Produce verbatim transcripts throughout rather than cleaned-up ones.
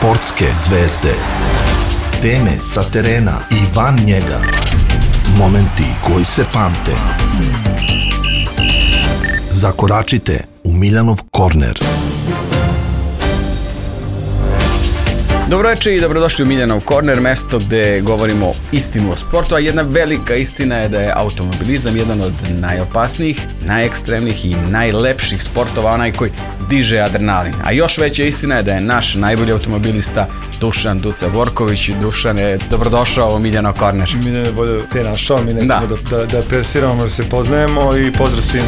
Sportske zvezde. Teme sa terena i van njega. Momenti koji se pamte. Zakoračite u Miljanov korner. Dobro večer i dobrodošli u Miljanov korner, mesto gde govorimo istinu o sportu, a jedna velika istina je da je automobilizam jedan od najopasnijih, najekstremnijih i najlepših sportova, onaj koji diže adrenalin. A još veća istina je da je naš najbolji automobilista Dušan Duca Vorković. Dušan je dobrodošao u Miljanov korner. Miljan je bolje te našao, mi nekako da, da, da persiramo, da se poznajemo i pozdrav svim.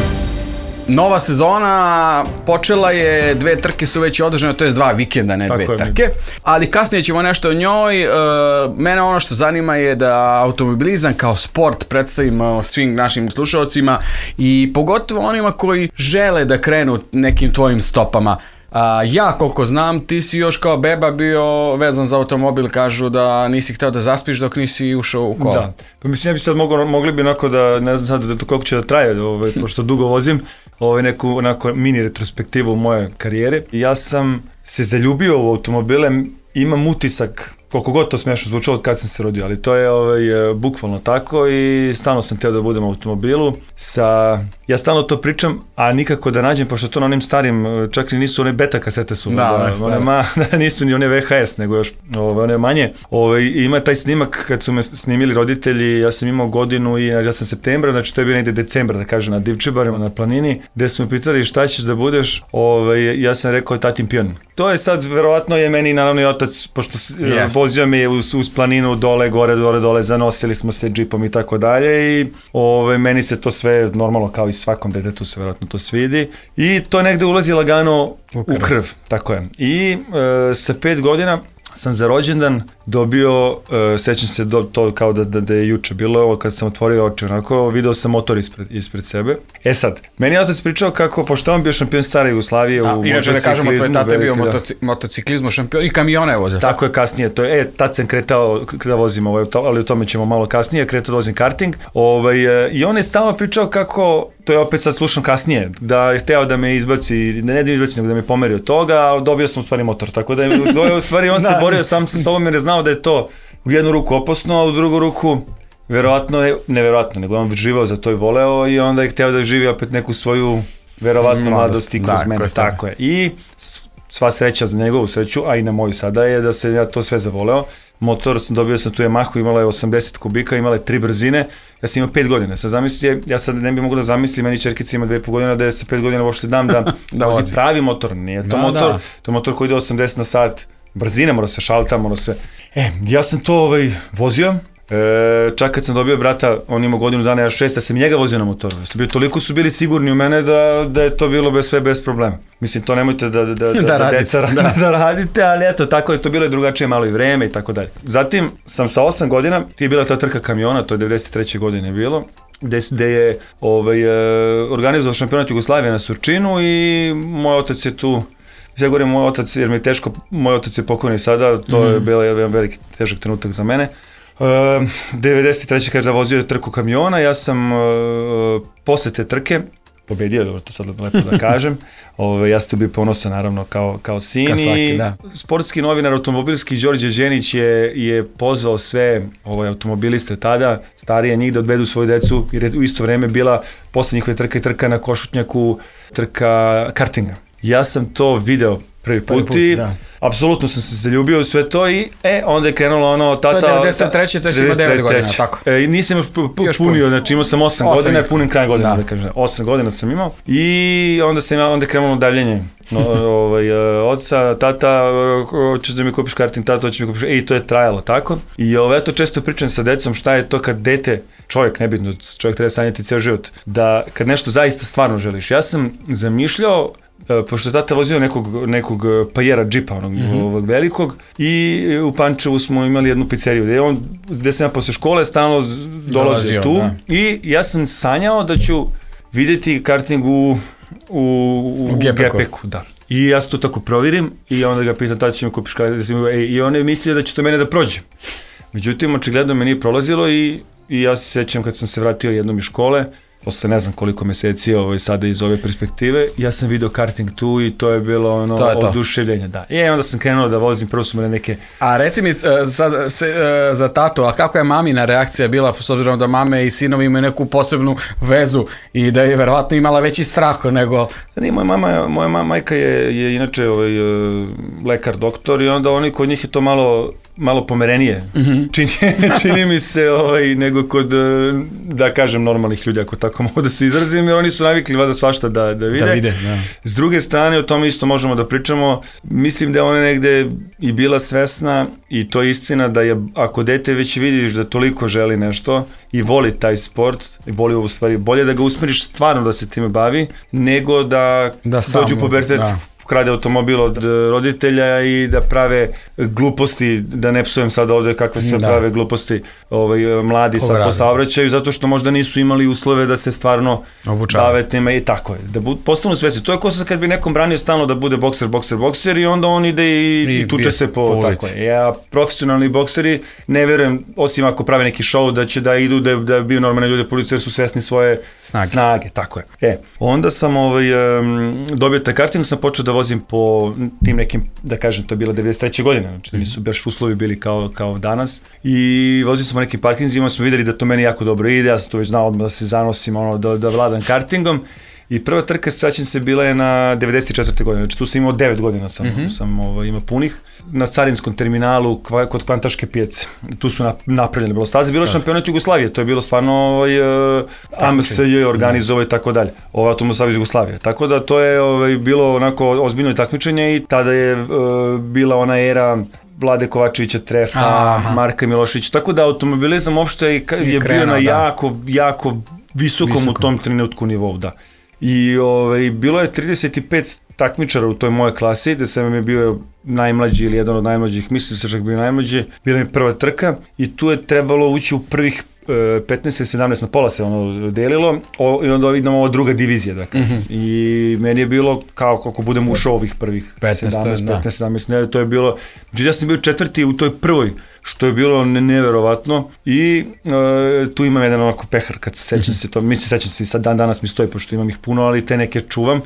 Nova sezona počela je, dve trke su već održane, to je dva vikenda, ne dve trke, ali kasnije ćemo nešto o njoj. E, mene ono što zanima je da automobilizam kao sport predstavimo svim našim slušalcima i pogotovo onima koji žele da krenu nekim tvojim stopama. A, ja koliko znam, ti si još kao beba bio vezan za automobil, kažu da nisi hteo da zaspiš dok nisi ušao u kola. Da, pa mislim ja bi sad mogli, mogli bi onako da, ne znam sad da to koliko će da traje, ovaj, pošto dugo vozim, ovaj, neku onako mini retrospektivu u moje karijere. Ja sam se zaljubio u automobile, imam utisak, koliko god to smiješno zvučalo od kad sam se rodio, ali to je ovaj, bukvalno tako i stalno sam htio da budem u automobilu. Sa, ja stalno to pričam, a nikako da nađem, pošto to na onim starim, čak i nisu one beta kasete su, da, da, one ma, nisu ni one V H S, nego još ove, one manje. Ove, ima taj snimak kad su me snimili roditelji, ja sam imao godinu i ja sam septembra, znači to je bio negde decembra, da kažem, na Divčibarima, na planini, gde su me pitali šta ćeš da budeš, ove, ja sam rekao tatin pion. To je sad, verovatno je meni naravno i otac, pošto yes. vozio me uz, uz planinu dole, gore, dole, dole, zanosili smo se džipom i tako dalje i ove, meni se to sve normalno kao i svakom detetu se verovatno to svidi i to negde ulazi lagano u krv, u krv tako je. I e, sa pet godina sam za rođendan dobio, uh, sećam se do, to kao da, da, da je juče bilo, ovo kad sam otvorio oči, onako, video sam motor ispred, ispred sebe. E sad, meni je otac pričao kako, pošto on bio šampion stare Jugoslavije u motociklizmu. Inače da kažemo, tvoj tata je bio motoci, motociklizmu šampion i kamione je vozio. Tako je kasnije, to je, e, tad sam kretao da vozim, ovaj, ali o tome ćemo malo kasnije, kretao da vozim karting. Ovaj, i on je stalno pričao kako, to je opet sad slušam kasnije, da je hteo da me izbaci, ne, ne da me izbaci, nego da me pomeri od toga, a dobio sam u stvari motor, tako da je u stvari on se borio sam sa sobom jer je znao da je to u jednu ruku opasno, a u drugu ruku verovatno je, neverovatno, nego on živao za to i voleo i onda je hteo da živi opet neku svoju verovatno mladost i kroz da, mene, tako je. I sva sreća za njegovu sreću, a i na moju sada je da se ja to sve zavoleo. Motor sam dobio sam tu Yamahu, imala je osamdeset kubika, imala je tri brzine, ja sam imao pet godina, sad zamislite, ja sad ne bih mogu da zamislim, meni čerkica ima dve i po godina, da je sa pet godina uopšte dam da, da vozim pravi motor, nije to da, motor, da. To je motor koji ide osamdeset na sat, brzine, mora se šalta, mora se... E, ja sam to ovaj, vozio, e, čak kad sam dobio brata, on ima godinu dana, ja šest, ja sam njega vozio na motoru. Ja sam bio, toliko su bili sigurni u mene da, da je to bilo bez sve, bez problema. Mislim, to nemojte da, da, da, da, da, radite, deca, da. da radite, ali eto, tako je to bilo i drugačije malo i vreme i tako dalje. Zatim sam sa osam godina, je bila ta trka kamiona, to je devedeset treće godine bilo, gde, gde je ovaj, organizovao šampionat Jugoslavije na Surčinu i moj otac je tu. Ja govorim moj otac, jer mi je teško, moj otac je pokojni sada, to mm. je bilo jedan veliki težak trenutak za mene. Uh, devedeset treće kada vozio trku kamiona, ja sam uh, posle te trke pobedio, dobro to sad lepo da kažem, Ove, ja sam bio ponosan naravno kao, kao sin kao svaki, i da. Sportski novinar automobilski Đorđe Đenić je, je pozvao sve ove, automobiliste tada, starije njih da odvedu svoju decu, jer je u isto vreme bila posle njihove trka i trka na Košutnjaku, trka kartinga. Ja sam to video prvi put, put i apsolutno sam se zaljubio u sve to i e, onda je krenulo ono tata... To je devedeset treće to je ima devet godina, tako? E, nisam još punio, znači imao sam osam godina, punim kraj godina, da, da kažem, osam godina sam imao i onda sam onda je krenulo davljenje no, ovaj, oca, tata, hoćeš da mi kupiš karting, tata, hoćeš da mi kupiš, e, i to je trajalo, tako? I ovo, ja to često pričam sa decom, šta je to kad dete, čovjek, nebitno, čovjek treba sanjati ceo život, da kad nešto zaista stvarno želiš. Ja sam zamišljao, pošto je tata vozio nekog, nekog Pajera džipa, onog mm-hmm. ovog velikog, i u Pančevu smo imali jednu pizzeriju, gde, on, gde sam ja posle škole stalno dolazio tu, da. I ja sam sanjao da ću vidjeti karting u, u, u, u G P K-u, da. I ja se to tako provjerim i onda ga pitam, tada će mi kupiš karting, i on je mislio da će to mene da prođe. Međutim, očigledno me nije prolazilo i, i ja se sjećam kad sam se vratio jednom iz škole, posle ne znam koliko meseci ovaj, sada iz ove perspektive, ja sam video karting tu i to je bilo ono to je to. oduševljenje. Da. I onda sam krenuo da vozim, prvo su me neke... A reci mi sad, sve, za tatu, a kako je mamina reakcija bila, s obzirom da mame i sinovi imaju neku posebnu vezu i da je verovatno imala veći strah nego... Ne, moja mama, moja mama, majka je, je inače ovaj, lekar, doktor i onda oni kod njih je to malo malo pomerenije, mm-hmm. čini, čini mi se ovaj, nego kod, da kažem, normalnih ljudi, ako tako mogu da se izrazim, jer oni su navikli vada svašta da, da vide. Da vide, da. S druge strane, o tome isto možemo da pričamo, mislim da je ona negde i bila svesna i to je istina da je, ako dete već vidiš da toliko želi nešto i voli taj sport, i voli u stvari, bolje da ga usmeriš stvarno da se time bavi, nego da, da dođu u pubertet, da. Krade automobil od roditelja i da prave gluposti, da ne psujem sad ovde kakve se da. prave gluposti ovaj, mladi sad po saobraćaju, zato što možda nisu imali uslove da se stvarno bave time i tako je. Da bu, postanu svesni. To je ko sad kad bi nekom branio stalno da bude bokser, bokser, bokser i onda on ide i, I, i tuče se po, po tako je. Ja, profesionalni bokseri, ne verujem, osim ako prave neki show, da će da idu, da, da bio normalne ljude po ulici jer su svesni svoje snage. snage tako je. E, onda sam ovaj, um, dobio taj karting, sam počeo da vozim po tim nekim, da kažem, to je bila devedeset treće godine, znači da nisu baš uslovi bili kao, kao danas i vozio sam po nekim parkinzima, smo videli da to meni jako dobro ide, ja sam to već znao odmah da se zanosim, ono, da, da vladam kartingom i prva trka, sećam se, bila je na devedeset četvrte godine, znači tu sam imao devet godina, sam, mm-hmm. sam ovaj, imao punih, na carinskom terminalu kva, kod Kvantaške pijace, tu su napravljene bilo staze, bilo šampionat Jugoslavije, to je bilo stvarno ovaj, A M S J organizovao i tako dalje, ovaj Automobil Jugoslavije, tako da to je ovaj, bilo onako ozbiljno takmičenje i tada je uh, bila ona era Vlade Kovačevića Trefa, Aha. Marka Miloševića, tako da automobilizam uopšte je, je krenuo, bio na jako, da. jako visokom, visokom u tom trenutku nivou, da. I ovaj, bilo je trideset pet takmičara u toj moje klasi, gde sam je bio najmlađi ili jedan od najmlađih, mislim se čak bio najmlađi, bila mi prva trka i tu je trebalo ući u prvih petnaest sedamnaest na pola se ono delilo o, i onda vidimo ova druga divizija, da kažem. Mm-hmm. I meni je bilo kao kako budem ušao ovih prvih sedamnaest, petnaest, sedamnaest, ne, to je bilo, ja sam bio četvrti u toj prvoj, što je bilo neverovatno i e, tu imam jedan onako pehar, kad se sećam mm-hmm. se to, mi se sećam se i sad dan danas mi stoji, pošto imam ih puno, ali te neke čuvam.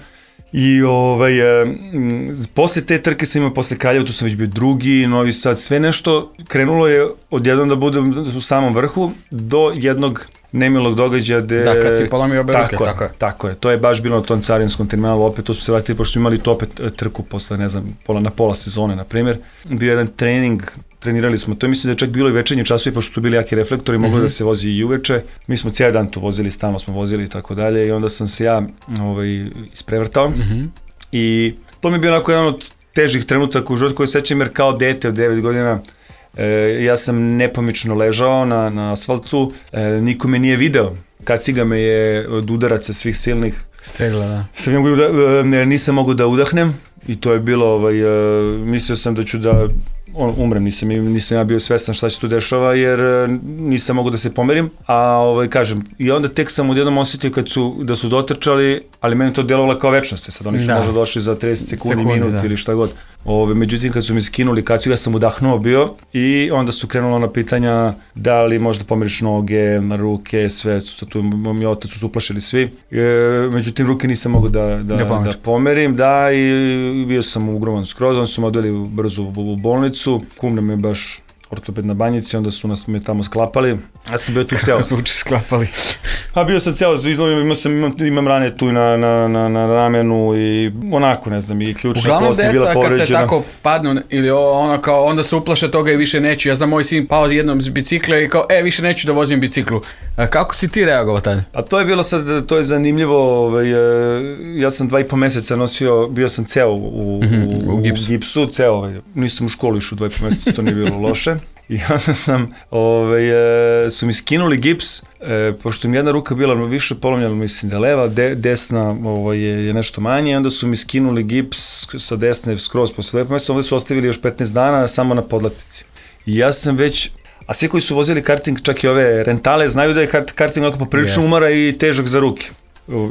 I ovaj, e, m, posle te trke sam imao, posle Kraljeva, tu sam već bio drugi, Novi Sad, sve nešto krenulo je odjednom da budem u samom vrhu do jednog nemilog događaja gde... Da, kad si polomio obe ruke, tako, tako je. Tako je, to je baš bilo na tom carinskom terminalu, opet to su se vratili, pošto imali to opet trku posle, ne znam, pola, na pola sezone, na primjer. Bio jedan trening, trenirali smo, to je mislim da je čak bilo i večernji časovi, pošto su bili jaki reflektori, moglo mm-hmm. da se vozi i uveče. Mi smo cijeli dan tu vozili, stalno smo vozili i tako dalje i onda sam se ja ovaj, isprevrtao mm-hmm. i to mi je bio onako jedan od težih trenutaka u životu koji sećam jer kao dete od devet godina e, ja sam nepomično ležao na, na asfaltu, e, niko me nije video. Kaciga me je od udaraca svih silnih stegla, da. Sam mogu da, e, nisam mogu da udahnem i to je bilo, ovaj, e, mislio sam da ću da on, umrem, nisam, nisam ja bio svestan šta se tu dešava jer nisam mogu da se pomerim, a ovaj, kažem, i onda tek sam odjednom osjetio kad su, da su dotrčali, ali meni to djelovalo kao večnost, sad oni su da. možda došli za trideset sekundi, sekundi minut da. ili šta god. Ove, međutim, kad su mi skinuli kacigu, ja sam udahnuo bio i onda su krenulo na pitanja da li možda pomeriš noge, ruke, sve, su, tu mi otac su uplašili svi. E, međutim, ruke nisam mogu da, da, da, da pomerim, da, i bio sam ugrovan skroz, oni su me odveli brzo u bolnicu, kum nam je baš ortoped na Banjici, onda su nas me tamo sklapali. Ja sam bio tu ceo. Kako zvuči sklapali? A bio sam ceo, imao sam, imam, imam rane tu na, na, na, na ramenu i onako, ne znam, i ključna kost je bila povređena. Uglavnom deca kad se tako padnu ili ono kao, onda se uplaše toga i više neću. Ja znam, moj sin pao jednom s bicikla i kao, e, više neću da vozim biciklu. A kako si ti reagovao tada? A to je bilo sad, to je zanimljivo, ovaj, ja sam dva i po meseca nosio, bio sam ceo u, mm-hmm, u, u, gipsu. u gipsu, ceo, ovaj, nisam u školu išao dva i po meseca, to nije bilo loše. I onda sam, ovaj, su mi skinuli gips, e, pošto mi jedna ruka bila više polomljena, mislim da leva, de, desna ovaj, je, je nešto manje, onda su mi skinuli gips sa desne skroz posle dva mjeseca, ovdje su ostavili još petnaest dana samo na podlaktici. I ja sam već, a svi koji su vozili karting, čak i ove rentale, znaju da je karting onako poprilično umara i težak za ruke.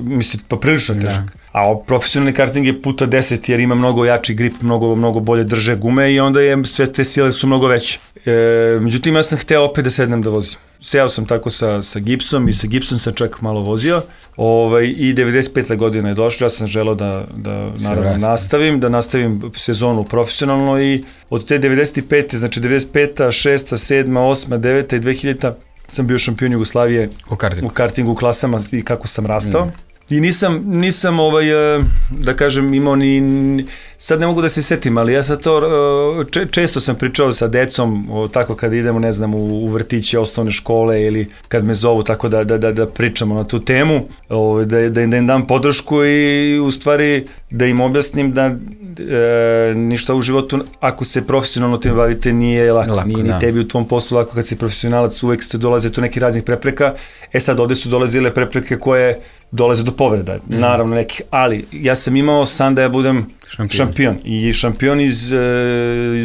Mislim, poprilično težak. Da. A profesionalni karting je puta deset jer ima mnogo jači grip, mnogo, mnogo bolje drže gume i onda je, sve te sile su mnogo veće. E, međutim, ja sam hteo opet da sednem da vozim. Seo sam tako sa, sa gipsom i sa gipsom sam čak malo vozio, Ovaj, i devedeset pete godine je došlo, ja sam želeo da, da naravno nastavim, da nastavim sezonu profesionalno i od te devedeset pete, znači devedeset peta, šesta, sedma, osma, deveta i dve hiljadita sam bio šampion Jugoslavije u kartingu, u kartingu klasama i kako sam rastao. Mm. I nisam, nisam ovaj, da kažem, imao ni, sad ne mogu da se setim, ali ja sad to, če, često sam pričao sa decom, o, tako kad idemo, ne znam, u, u vrtiće, osnovne škole ili kad me zovu, tako da, da, da, da pričamo na tu temu, o, da, da, da im dam podršku i u stvari da im objasnim da e, ništa u životu, ako se profesionalno tim bavite, nije lako, lako nije ni da. Tebi u tvom poslu lako kad si profesionalac, uvek se dolaze tu neki raznih prepreka, e sad ovde su dolazile prepreke koje dolaze do povreda, mm. naravno nekih, ali ja sam imao san da ja budem šampion, šampion. I šampion iz uh,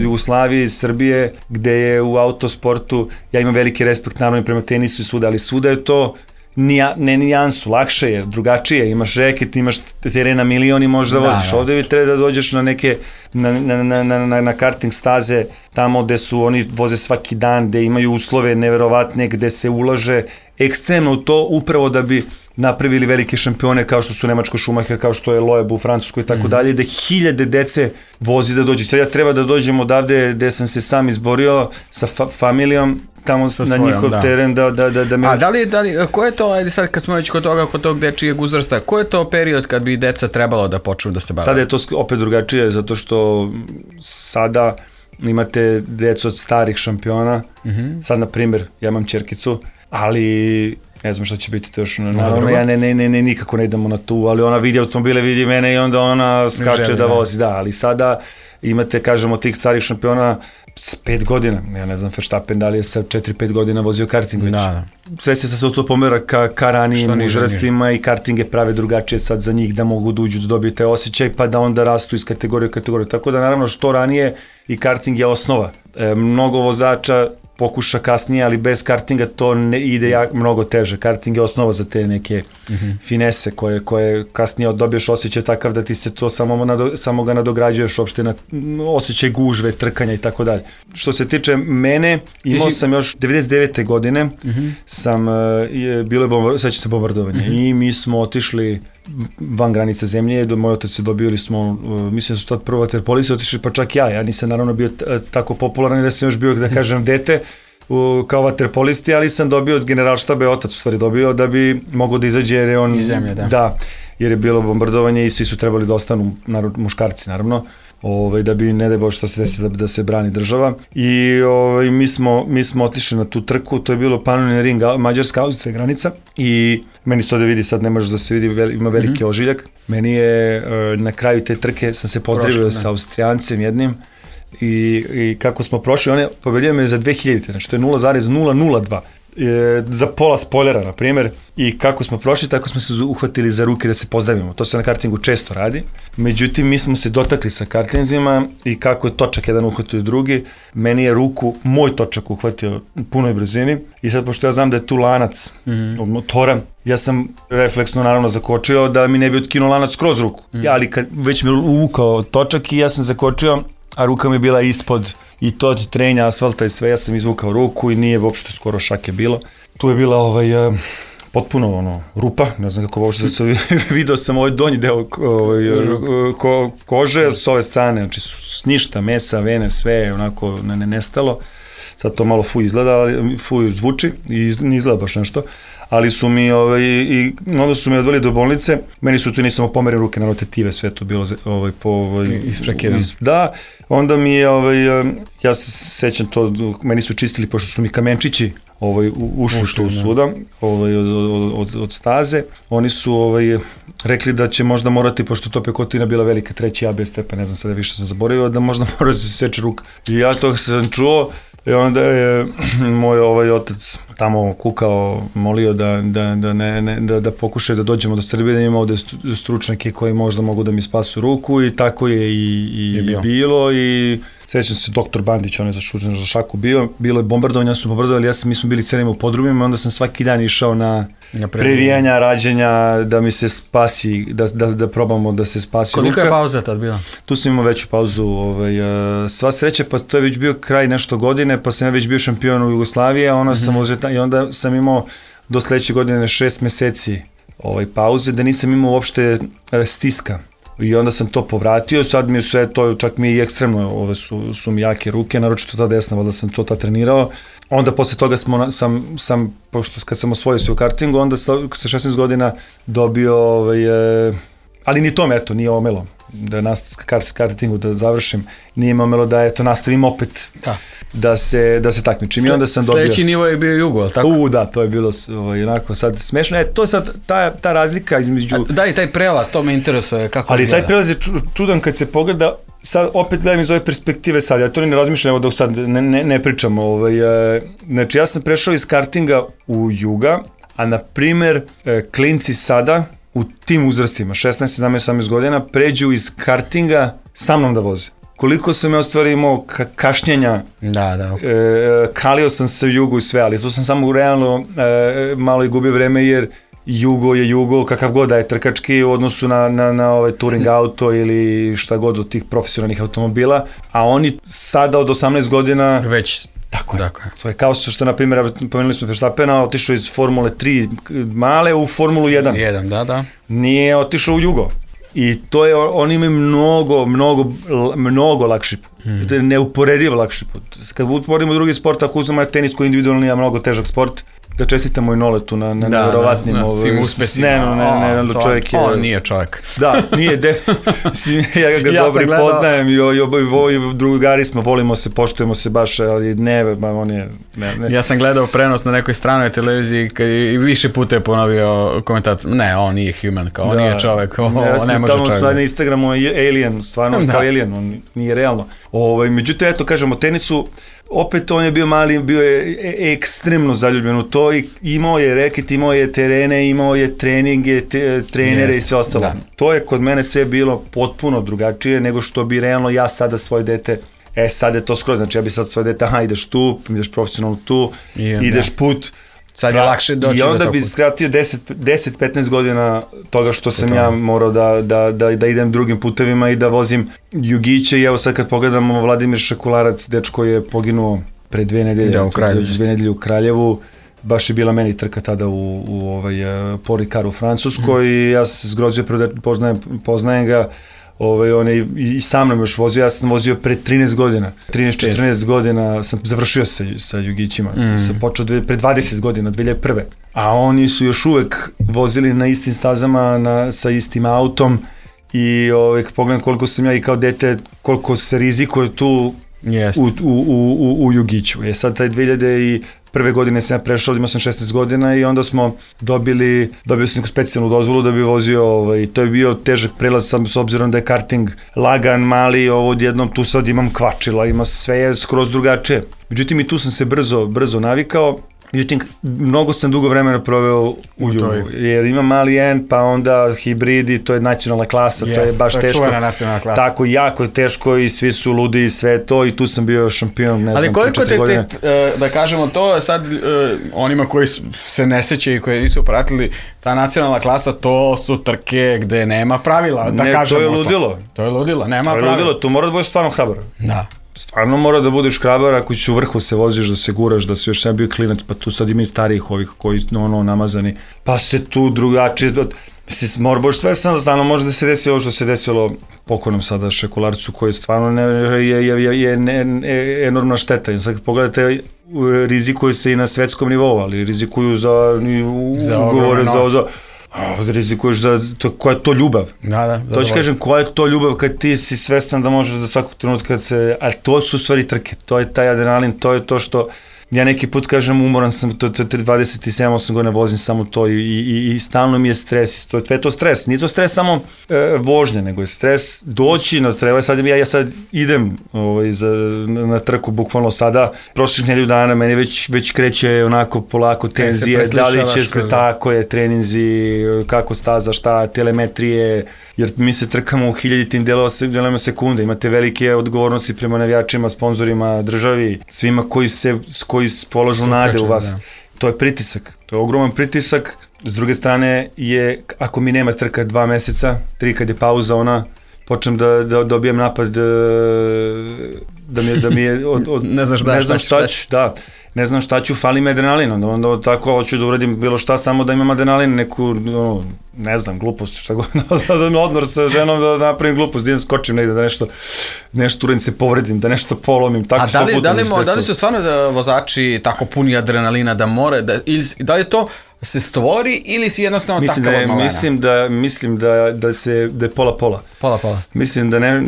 Jugoslavije, iz Srbije, gde je u autosportu, ja imam veliki respekt naravno i prema tenisu i svuda, ali svuda je to nija, ne nijansu, lakše je, drugačije, imaš reket, imaš terena milion i možeš da voziš, da, da. Ovde bi treba da dođeš na neke, na, na, na, na, na karting staze, tamo gde su, oni voze svaki dan, gde imaju uslove neverovatne, gde se ulaže ekstremno u to, upravo da bi napravili velike šampione kao što su Nemačko Schumacher, kao što je Loeb u Francuskoj i tako dalje, da hiljade dece vozi da dođe. Sad ja treba da dođem odavde gde sam se sam izborio sa fa familijom, tamo sa na svojom, njihov da. teren da, da, da, da me... A da li, da li, ko je to, ajde sad kad smo već kod toga, kod tog dečijeg uzrasta, ko je to period kad bi deca trebalo da počnu da se bave? Sada je to opet drugačije, zato što sada imate decu od starih šampiona, mm -hmm. sad na primjer, ja imam ćerkicu, ali ne znam šta će biti to još, naravno ja ne, ne, ne, ne, nikako ne idemo na tu, ali ona vidi automobile, vidi mene i onda ona skače želi, da vozi, da, ali sada imate, kažemo, tih starih šampiona s pet godina, ja ne znam Verstappen da li je sa četiri pet godina vozio karting već. Da, da. Sve se sa to pomera ka, ka ranijim uzrastima i kartinge prave drugačije sad za njih da mogu da uđu da dobiju taj osjećaj pa da onda rastu iz kategorije u kategoriju. Tako da naravno što ranije i karting je osnova. E, mnogo vozača pokuša kasnije, ali bez kartinga to ne ide jak, mnogo teže. Karting je osnova za te neke mm -hmm. finese koje, koje kasnije dobiješ osjećaj takav da ti se to samo, nado, samo ga nadograđuješ uopšte na osjećaj gužve, trkanja i tako dalje. Što se tiče mene, imao si... sam još devedeset devete godine, mm -hmm. sam, je, bilo je bombar, sećam se bombardovanje mm -hmm. i mi smo otišli van granica zemlje, do, moj otac je dobili smo, uh, mislim da su tad prvo vaterpolisi otišli, pa čak ja, ja nisam naravno bio t, tako popularan da sam još bio, da kažem, dete uh, kao vaterpolisti, ali sam dobio od generalštaba, otac u stvari dobio, da bi mogao da izađe, jer je on... Iz zemlje, da. Da, jer je bilo bombardovanje i svi su trebali da ostanu, naravno, muškarci, naravno, ovaj, da bi, ne daj Bože šta se desi, da, da se brani država. I ovaj, mi, smo, mi smo otišli na tu trku, to je bilo Pannonia Ring, Mađarska, Austrija granica i meni se ovde vidi, sad ne može da se vidi, ima veliki mm -hmm. ožiljak. Meni je, na kraju te trke sam se pozdravio sa Austrijancem jednim i, i kako smo prošli, on je pobedio me za dve hiljadite, znači to je nula zarez nula nula dva. E, za pola spoilera, na primjer, i kako smo prošli, tako smo se uhvatili za ruke da se pozdravimo. To se na kartingu često radi. Međutim, mi smo se dotakli sa kartinzima i kako je točak jedan uhvatio drugi, meni je ruku, moj točak uhvatio u punoj brzini i sad, pošto ja znam da je tu lanac mm -hmm. od motora, ja sam refleksno naravno zakočio da mi ne bi otkinuo lanac kroz ruku. Mm -hmm. Ja, ali kad već mi je uvukao točak i ja sam zakočio, a ruka mi je bila ispod i to od trenja, asfalta i sve, ja sam izvukao ruku i nije uopšte skoro šake bilo. Tu je bila ovaj, uh, potpuno ono, rupa, ne znam kako uopšte da se video sam ovaj donji deo ovaj, ko, kože s ove strane, znači ništa, mesa, vene, sve onako ne, ne nestalo. Sad to malo fuj izgleda, ali fuj zvuči i ne izgleda baš nešto. Ali su mi, ovaj, i onda su me odveli do bolnice, meni su tu nisam pomerio ruke na rotative, sve to bilo ovaj, po... Ovaj, Isprekidano. Da, onda mi je, ovaj, ja se sećam to, meni su čistili, pošto su mi kamenčići ovaj, ušli tu suda, ovaj, od, od, od, od staze, oni su ovaj, rekli da će možda morati, pošto to pekotina bila velika, treći A B stepen, ne znam sada više sam zaboravio, da možda mora da se seče ruka. I ja to sam čuo, i onda je moj ovaj otac tamo kukao, molio da, da, da, ne, ne, da, da pokušaju da dođemo do Srbije, da imamo ovde stručnjake koji možda mogu da mi spasu ruku i tako je i, i, je bilo. i bilo i sećam se doktor Bandić, on je za, šuzen, za šaku bio, bilo je bombardovanje, su bombardovali, ja sam, mi smo bili celima u podrumima, onda sam svaki dan išao na previjanja, rađenja, da mi se spasi, da, da, da probamo da se spasi Koliko ruka. Koliko je pauza tad bila? Tu sam imao veću pauzu, ovaj, sva sreća, pa to je već bio kraj nešto godine, pa sam ja već bio šampion u Jugoslaviji, a onda, mm -hmm. sam uzeta, i onda sam imao do sledeće godine šest meseci ovaj, pauze, da nisam imao uopšte e, stiska. I onda sam to povratio, sad mi je sve to, čak mi je i ekstremno, ove su, su mi jake ruke, naročito ta desna, valjda sam to ta trenirao. Onda posle toga smo, sam, sam, pošto kad sam osvojio se u kartingu, onda sa šesnaest godina dobio, ovaj, e, ali ni to me, eto, nije omelo, da nastavim kartingu, da završim, nije me omelo da, eto, nastavim opet, da, da se, da se takmičim. I onda sam dobio... Sledeći nivo je bio Jugo, ali tako? U, da, to je bilo ovaj, onako sad smešno. E, to je sad ta, ta razlika između... A, da, i taj prelaz, to me interesuje, kako ali gleda. Taj prelaz je čudan kad se pogleda, sad opet gledam iz ove perspektive sad, ja to ne razmišljam, evo dok sad ne, ne, ne pričam. Ovaj, e, znači, ja sam prešao iz kartinga u Juga, a na primer, e, klinci sada, u tim uzrastima, šesnaest, sedamnaest, osamnaest godina, pređu iz kartinga sa mnom da voze. Koliko sam ja ostvari imao ka kašnjenja, da, da. E, kalio sam se u Jugu i sve, ali tu sam samo realno e, malo i gubio vreme, jer Jugo je Jugo, kakav god da je trkački u odnosu na, na, na ovaj touring auto ili šta god od tih profesionalnih automobila, a oni sada od osamnaest godina... Već... Tako je. To je kao što, na primjer, pomenuli smo Verstappena, otišao iz Formule tri male u Formulu jedan. jedan, da, da. Nije otišao u Jugo. I to je, oni imaju mnogo, mnogo, mnogo lakši put. Hmm. To je neuporedivo lakši put. Kad uporedimo drugi sport, ako uzmemo tenis koji individualni, a mnogo težak sport, da čestitamo i Noletu na, na da, nevjerovatnim... Da, na svim uspesima. Ne, ne, ne, ne, čovjek je... On nije čovjek. Da, nije, de, ja ga ja dobri poznajem i, i, i drugari smo, volimo se, poštujemo se baš, ali ne, on je... Ne, ne. Ja sam gledao prenos na nekoj stranoj televiziji kad i više puta je ponovio komentator, ne, on nije human, kao on da, nije čovjek, o, ne, ja on ne može čovjek. Ja sam na Instagramu je alien, stvarno kao alien, on nije realno. Ovaj, međutim, eto, kažemo, tenisu, opet on je bio mali, bio je ekstremno zaljubljen u to i imao je reket, imao je terene, imao je treninge, te, trenere Jest, i sve ostalo. Da. To je kod mene sve bilo potpuno drugačije nego što bi realno ja sada svoje dete, e sad je to skroz, znači ja bi sad svoje dete, aha ideš tu, ideš profesionalno tu, I, ideš da. put. Sad je da, lakše doći do I onda bi skratio deset do petnaest godina toga što sam to ja morao da, da, da, da idem drugim putevima i da vozim jugiće i evo sad kad pogledamo Vladimir Šakularac, dečko je poginuo pre dve nedelje, da, u Kraljevu, dve nedelje u Kraljevu, baš je bila meni trka tada u, u ovaj, Paul Ricard u Francuskoj mm. i ja sam se zgrozio, poznajem, poznajem ga, Ovaj, on je i sa mnom još vozio, ja sam vozio pre trinaest godina, trinaest četrnaest godina sam završio sa, sa jugićima, mm. sam počeo dve, pre dvadeset godina, dve hiljade prve. A oni su još uvek vozili na istim stazama, na, sa istim autom i ovaj, pogledam koliko sam ja i kao dete, koliko se rizikuje tu u, u, u, u jugiću. Je sad taj dve hiljade prve godine sam ja prešao, imao sam šesnaest godina i onda smo dobili, dobili sam neku specijalnu dozvolu da bi vozio, ovaj, to je bio težak prelaz sam s obzirom da je karting lagan, mali, ovo odjednom tu sad imam kvačila, ima sve je skroz drugačije. Međutim i tu sam se brzo, brzo navikao. Međutim, mnogo sam dugo vremena proveo u Jugu, jer ima mali N, pa onda hibridi, to je nacionalna klasa, yes, to je baš to je teško. Čuvena nacionalna klasa. Tako, jako je teško i svi su ludi i sve to i tu sam bio šampion, ne Ali znam, koliko te, te, da kažemo to, sad onima koji se ne sećaju i koji nisu pratili, ta nacionalna klasa, to su trke gde nema pravila, da ne, kažemo. To je ludilo. To je ludilo, nema to je pravila. Ludilo, tu mora da budeš stvarno hrabar. Da. Stvarno mora da budeš hrabar ako ćeš u vrhu se voziš, da se guraš, da si još sam bio klinac, pa tu sad ima i starijih ovih koji ono namazani, pa se tu drugačije, mislim, mora boš svestan da stvarno može da se desi ovo što se desilo pokojnom sada Šekularcu koji stvarno ne, je, je, je, je ne, ne, enormna šteta. I sad pogledajte, rizikuju se i na svetskom nivou, ali rizikuju za, za ugovore, za, za a rizikuješ za, to, koja je to ljubav. Da, da. To ću kažem, koja je to ljubav kad ti si svestan da možeš da svakog trenutka kad se, ali to su stvari trke, to je taj adrenalin, to je to što, ja neki put kažem umoran sam, to je dvadeset sedam osam godina vozim samo to i, i, i stalno mi je stres, to je to stres, nije to stres samo e, vožnje, nego je stres doći na treba, sad ja, ja sad idem ovaj, za, na, na trku bukvalno sada, prošlih nedelju dana meni već, već kreće onako polako tenzije, da li će sve tako je, treninzi, kako staza, šta, telemetrije, jer mi se trkamo u hiljaditim delovima sekunde, imate velike odgovornosti prema navijačima, sponzorima, državi, svima koji se, koji polažu nade u vas. Da. To je pritisak, to je ogroman pritisak. S druge strane je, ako mi nema trka dva meseca, tri kad je pauza ona, počnem da, da dobijem napad da mi je, da mi je od, od, ne znaš, ne znam šta ću, da. ne znam šta ću, fali mi adrenalin, onda, onda tako hoću da uradim bilo šta, samo da imam adrenalin, neku, no, ne znam, glupost, šta god, da odmor sa ženom, da napravim glupost, da idem skočim negde, da nešto, nešto uradim, se povredim, da nešto polomim, tako sto puta. A da li, da li, da li su stvarno vozači tako puni adrenalina da more, da, ili, da li to se stvori ili si jednostavno mislim takav da je, od malena? Mislim da, mislim da, da, se, da je pola-pola. Pola-pola. Mislim da ne,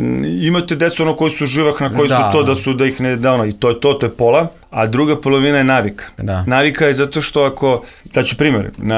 imate decu ono koji su živahna, koji da, su to, da su, da ih ne da ono, i to je to, to je pola, a druga polovina je navika. Da. Navika je zato što ako, daću primjer, na,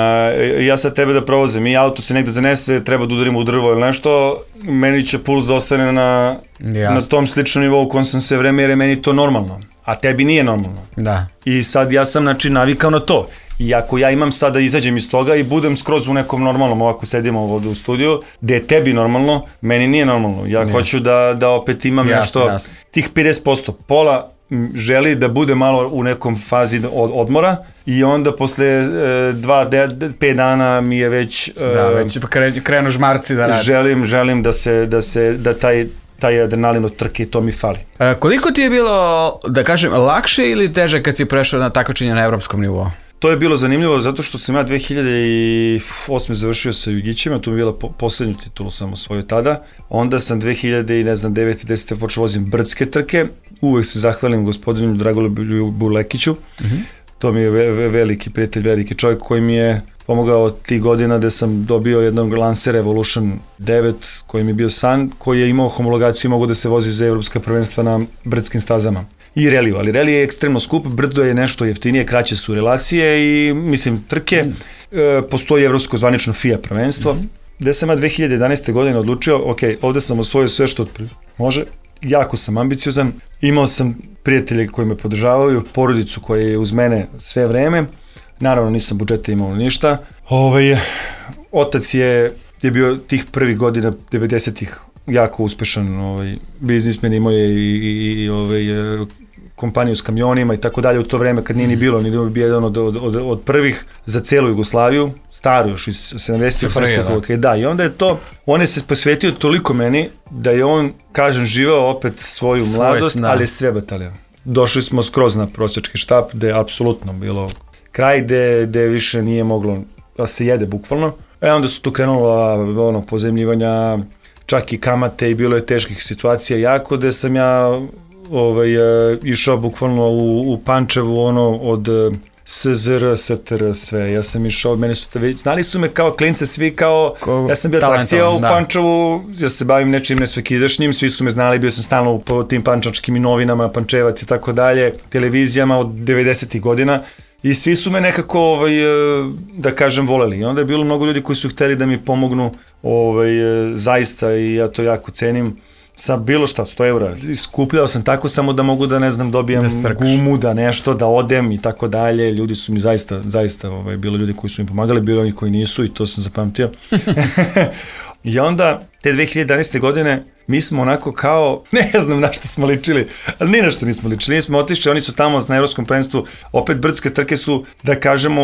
ja sad tebe da provozim i auto se negde zanese, treba da udarimo u drvo ili nešto, meni će puls da ostane na, na tom sličnom nivou u kom sam sve vreme, jer je meni to normalno, a tebi nije normalno. Da. I sad ja sam, znači, navikao na to. I ako ja imam sad da izađem iz toga i budem skroz u nekom normalnom, ovako sedimo ovdje u studiju, gde je tebi normalno, meni nije normalno. Ja nije. Hoću da, da opet imam jasne, nešto, jasne. Tih pedeset posto, pola želi da bude malo u nekom fazi od, odmora i onda posle e, dva, de, pet dana mi je već... E, da, već krenu žmarci da radi. Želim, želim da se, da se, da taj... taj adrenalin od trke, to mi fali. E, koliko ti je bilo, da kažem, lakše ili teže kad si prešao na takmičenje na evropskom nivou? To je bilo zanimljivo zato što sam ja dve hiljade osme završio sa Jugićima, tu mi je bila po, poslednju titulu sam osvojio tada. Onda sam dve hiljade devete desete počeo vozim brdske trke. Uvek se zahvalim gospodinu Dragoljubu Lekiću. Mm-hmm. To mi je ve, ve, veliki prijatelj, veliki čovjek koji mi je pomogao tih godina gde sam dobio jednog Lancer Evolution devet koji mi je bio san, koji je imao homologaciju i mogao da se vozi za evropska prvenstva na brdskim stazama. I reliju, ali relije je ekstremno skup, brdo je nešto jeftinije, kraće su relacije i mislim trke, mm. e, postoji evropsko zvanično F I A prvenstvo, mm. gde sam ja dve hiljade jedanaeste godine odlučio, ok, ovde sam osvojio sve što može, jako sam ambiciozan, imao sam prijatelje koji me podržavaju, porodicu koja je uz mene sve vreme, naravno nisam budžeta imao ništa, ovaj, otac je, je bio tih prvih godina devedesetih jako uspešan ovaj, biznismen, imao je i, i, i ovaj, kompaniju s kamionima i tako dalje u to vreme kad nije ni bilo, ni bio jedan od, od, od, od prvih za celu Jugoslaviju, staro još iz sedamdesetih da. da, i onda je to, on je se posvetio toliko meni da je on, kažem, živeo opet svoju Svoj mladost, sna. Ali sve batalija. Došli smo skroz na prosjački štap, gde je apsolutno bilo kraj, gde, gde više nije moglo da se jede bukvalno. E onda su tu krenula ono, pozemljivanja, čak i kamate i bilo je teških situacija jako, gde sam ja ovaj, išao bukvalno u, u Pančevu ono od S Z R, S T R, sve. Ja sam išao, mene su, znali su me kao klince svi kao, Ko, ja sam bio atrakcija u da. Pančevu, ja se bavim nečim nesvekidašnjim, svi su me znali, bio sam stalno po tim pančačkim novinama, Pančevac i tako dalje, televizijama od devedesetih godina. I svi su me nekako, ovaj, da kažem, voleli. I onda je bilo mnogo ljudi koji su hteli da mi pomognu, ovaj, zaista, i ja to jako cenim, sa bilo šta, sto eura. Skupljao sam tako samo da mogu da, ne znam, dobijem da gumu, da nešto, da odem i tako dalje. Ljudi su mi zaista, zaista, ovaj, bilo ljudi koji su mi pomagali, bilo oni koji nisu i to sam zapamtio. I onda, te dve hiljade jedanaeste godine, mi smo onako kao, ne znam na što smo ličili, ali ni na što nismo ličili, nismo otišli, oni su tamo na evropskom prvenstvu, opet brdske trke su, da kažemo,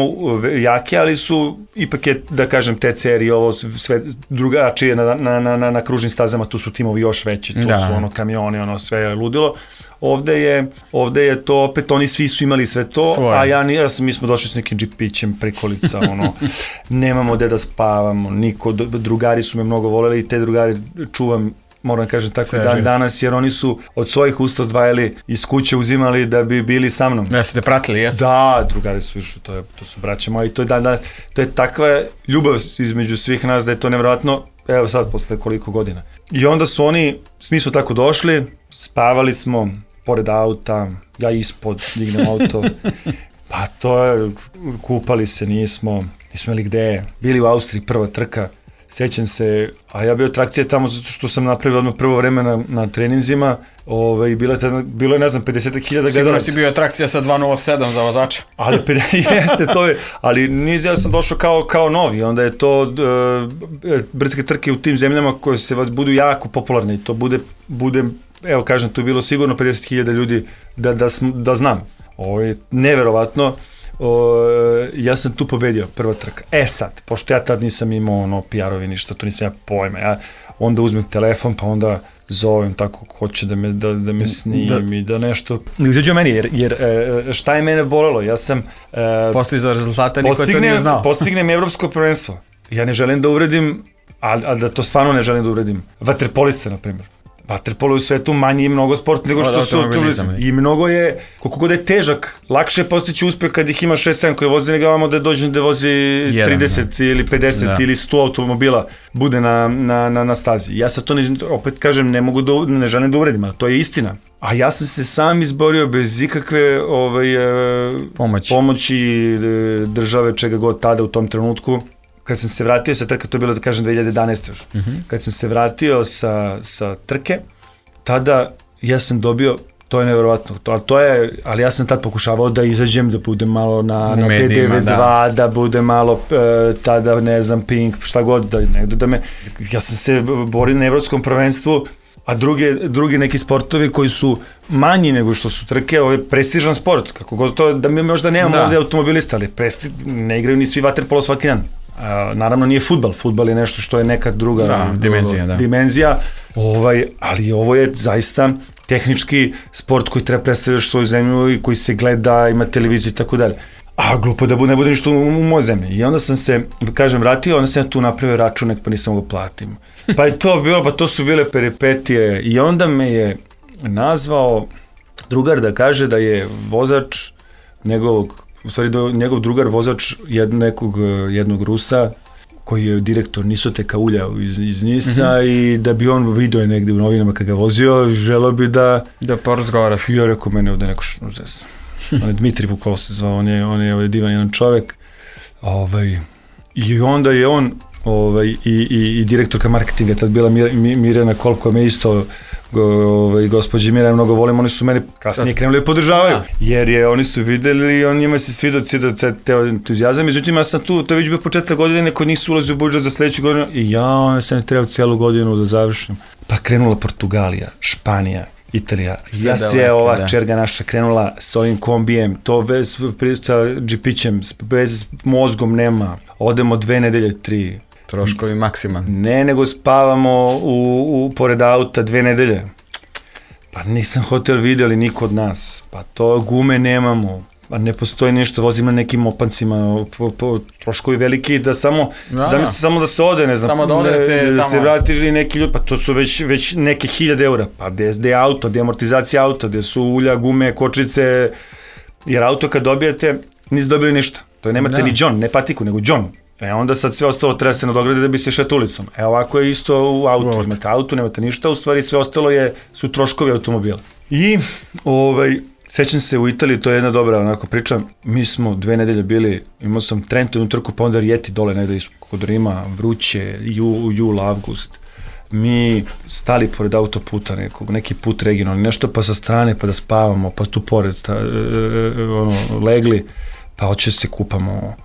jake, ali su, ipak je, da kažem, T C R i ovo sve drugačije na, na, na, na, na kružnim stazama, tu su timovi još veći, tu da. Su ono kamioni, ono sve je ludilo. Ovde je, ovde je to, opet oni svi su imali sve to, Svoje. A ja, ja sam, mi smo došli s nekim džipićem, prikolica, ono, nemamo gde da spavamo, niko, drugari su me mnogo voleli i te drugari čuvam, moram kažem tako Sve dan danas, jer oni su od svojih usta odvajali iz kuće, uzimali da bi bili sa mnom. Ja su te pratili, jesu? Da, drugari su išli, to, je, to su braća moji, to je dan danas, to je takva ljubav između svih nas da je to nevjerojatno, evo sad posle koliko godina. I onda su oni, mi smo tako došli, spavali smo pored auta, ja ispod, dignem auto, pa to je, kupali se, nismo, nismo ili gde, bili u Austriji, prva trka, sećam se, a ja bio atrakcija tamo zato što sam napravio odmah prvo vreme na, na treninzima, ovaj, bilo, je, bilo je, ne znam, pedeset hiljada gledalaca. Sigurno si bio atrakcija sa dva nula sedam za vozača. Ali, jeste, to je, ali niz, ja sam došao kao, kao novi, onda je to, uh, brdske trke u tim zemljama koje se vas budu jako popularne i to bude, bude, evo kažem, tu je bilo sigurno pedeset hiljada ljudi da, da, da znam. Ovo je neverovatno. o, ja sam tu pobedio, prva trka. E sad, pošto ja tad nisam imao ono P R-ovi ništa, to nisam ja pojma, ja onda uzmem telefon, pa onda zovem tako hoće da me, da, da me snimim da. I da nešto izađe meni, jer, jer šta je mene bolelo, ja sam uh, postizao rezultata, niko je to nije znao. Postignem evropsko prvenstvo, ja ne želim da uvredim, ali, ali da to stvarno ne želim da uvredim vaterpoliste, na primjer. Vaterpolo je u svetu manji i mnogo sport nego što su i mnogo je, koliko god je težak, lakše je postići uspeh kad ih ima šest sedam koji vozi nego vamo da dođe da vozi trideset ili pedeset da. Ili sto automobila bude na, na, na, na stazi. Ja sad to ne, opet kažem, ne mogu da, ne želim da uvredim, ali to je istina. A ja sam se sam izborio bez ikakve ovaj, pomoći. pomoći države, čega god tada u tom trenutku. Kad sam se vratio sa trke, to je bilo da kažem dve hiljade jedanaeste još, uh-huh. Kad sam se vratio sa, sa trke, tada ja sam dobio, to je nevjerovatno, to, ali, to je, ali ja sam tad pokušavao da izađem, da budem malo na, na P D V dva, da. da budem malo e, tada, ne znam, Pink, šta god, da, negdje da me, ja sam se borio na evropskom prvenstvu, a druge, drugi neki sportovi koji su manji nego što su trke, ovo je prestižan sport, kako god to, da mi možda nemamo da. Ovdje automobilista, ali presti, ne igraju ni svi vaterpolo svaki dan. Uh, naravno nije fudbal, fudbal je nešto što je neka druga da, dimenzija, da. dimenzija ovaj, ali ovo je zaista tehnički sport koji treba predstaviti svoju zemlju i koji se gleda, ima televiziju i tako dalje. A glupo da ne bude ništa u, u mojoj zemlji. I onda sam se, kažem, vratio, onda sam ja tu napravio računek pa nisam ga platim. Pa je to bilo, pa to su bile peripetije i onda me je nazvao drugar da kaže da je vozač njegovog u stvari do, njegov drugar vozač jed, nekog, jednog Rusa koji je direktor Nisoteka ulja iz, iz Nisa mm-hmm. i da bi on vidio je negdje u novinama kad ga vozio, želeo bi da da porazgovara. Ja rekao, mene ovdje neko šuzes. On je Dmitri Vukov se zove, on je, on je ovaj divan jedan čovjek. Ovaj, i onda je on ovaj, i, i, i direktorka marketinga, tad bila Mir, Mirjana Kolko, me isto ovaj, gospođi Mirjana mnogo volim, oni su mene kasnije krenuli da podržavaju, jer je, oni su videli i on njima se svidio teo entuzijazam, međutim ja sam tu, to je već bio početak godine, neko nisu ulazi u budžet za sledeću godinu i ja, ona sam trebao cijelu godinu da završim. Pa krenula Portugalija, Španija, Italija, sve ja se ova da. Čerga naša krenula s ovim kombijem, to bez, sa džipićem, bez mozgom nema, odemo dve nedelje, tri. Troškovi maksimalni. Ne, nego spavamo u, u, pored auta dve nedelje. Pa nisam hotel vidjeli niko od nas, pa to gume nemamo, pa ne postoji ništa, vozimo na nekim opancima, po, po, troškovi veliki, da samo, da, zamislite, samo da se ode, ne znam, samo da, odete, da, da se vrati neki ljudi, pa to su već, već neke hiljade eura, pa gde, gde je auto, gde je amortizacija auta, gde su ulja, gume, kočice, jer auto kad dobijete, niste dobili ništa, to je nemate da. Ni džon, ne patiku, nego džon. E onda sad sve ostalo treba se nadogradi da bi se šet ulicom. E ovako je isto u autu, imate auto, nemate ništa, u stvari sve ostalo je, su troškovi automobila. I ovaj, sećam se u Italiji, to je jedna dobra onako priča, mi smo dve nedelje bili, imao sam Trento jednu trku, pa onda Rijeti dole negde kod Rima, vruće, ju, jul, avgust. Mi stali pored autoputa nekog, neki put regionalni, nešto pa sa strane, pa da spavamo, pa tu pored sta, e, e, ono, legli. Pa hoće se kupamo,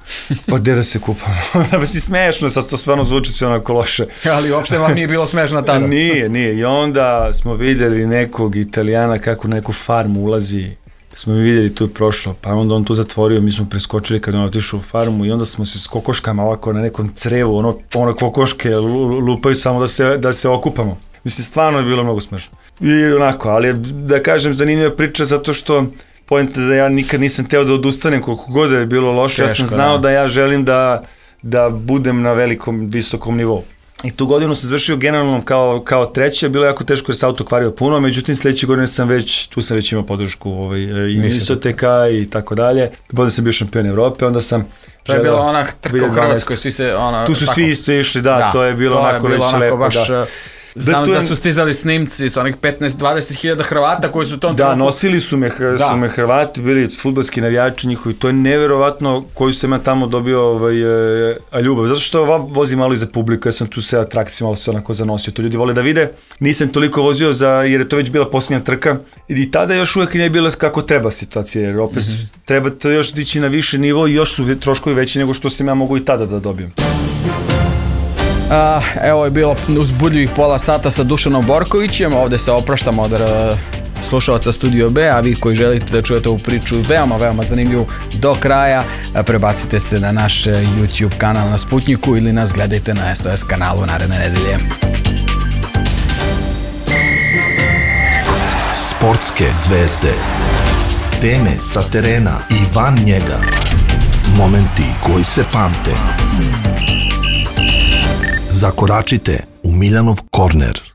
pa gde da se kupamo, pa si smešno, sad to stvarno zvuči sve onako loše. Ali uopšte vam nije bilo smešno tada. Nije, nije, i onda smo vidjeli nekog Italijana kako na neku farmu ulazi, smo vidjeli tu je prošlo, pa onda on tu zatvorio, mi smo preskočili kad on otišao u farmu i onda smo se s kokoškama ovako na nekom crevu, ono, ono kokoške lupaju samo da se, da se okupamo. Mislim, stvarno je bilo mnogo smešno. I onako, ali da kažem, zanimljiva priča zato što point je da ja nikad nisam teo da odustanem koliko god je bilo loše, Teško, ja sam znao da. da ja želim da, da budem na velikom, visokom nivou. I tu godinu sam završio generalno kao, kao treće, bilo je jako teško jer se auto kvario puno, međutim sljedeće godine sam već, tu sam već imao podršku ovaj, i Nisoteka i tako dalje. Bolje sam bio šampion Evrope, onda sam... To je bila ona trka u Hrvatskoj, svi se... Ona, tu su tako, svi isto išli, da, da to je bilo to onako je bilo već onako lepo. Baš, da. Znam da, da su stizali snimci s onih petnaest dvadeset hiljada Hrvata koji su u tom da, trenutku... nosili su me, da. su me Hrvati, bili fudbalski navijači njihovi, to je neverovatno koju sam ja tamo dobio ovaj, e, ljubav, zato što ova vozi malo iza publika, ja sam tu se atrakcije malo se onako zanosio, to ljudi vole da vide, nisam toliko vozio za, jer je to već bila posljednja trka i tada još uvijek nije bila kako treba situacija, jer opet mm-hmm. treba to još dići na više nivo i još su troškovi veći nego što sam ja mogu i tada da dobijem. Uh, evo je bilo uzbudljivih pola sata sa Dušanom Borkovićem, ovdje se opraštamo od uh, slušalaca Studio B, a vi koji želite da čujete ovu priču veoma, veoma zanimljivu do kraja, prebacite se na naš YouTube kanal na Sputniku ili nas gledajte na S O S kanalu naredne nedelje. Sportske zvezde, teme sa terena i van njega, momenti koji se pamte. Zakoračite u Miljanov korner.